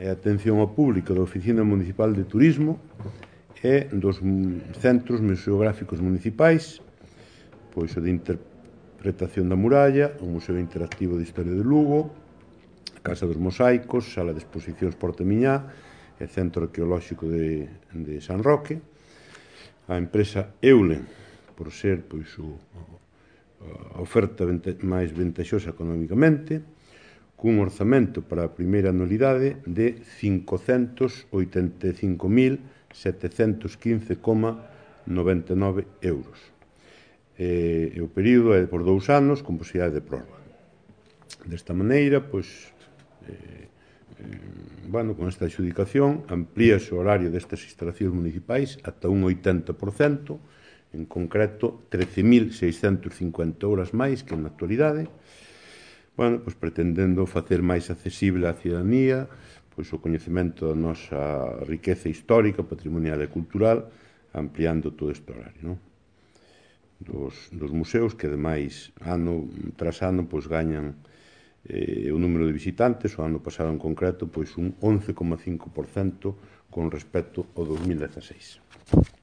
e atención ao público da Oficina Municipal de Turismo e dos centros museográficos municipais, pois o de Interpretación da Muralla, o Museo Interactivo de Historia de Lugo, a Casa dos Mosaicos, Sala de Exposicións Porta Miñá e Centro Arqueolóxico de San Roque, a empresa Eulen, por ser pois a oferta máis ventaxosa económicamente, cun orzamento para a primeira anualidade de 585.715,99 euros. E o período é por 2 anos, con posibilidade de prórroga. Desta maneira, pois, con esta adxudicación amplíase o horario destas instalacións municipais ata un 80%, en concreto 13.650 horas máis que na actualidade, pois pretendendo facer máis accesible á cidadanía pois o coñecemento da nosa riqueza histórica, patrimonial e cultural, ampliando todo este horario, non? Dos museos que, ademais, ano tras ano, pois gañan o número de visitantes. O ano pasado, en concreto, pois un 11,5% con respecto ao 2016.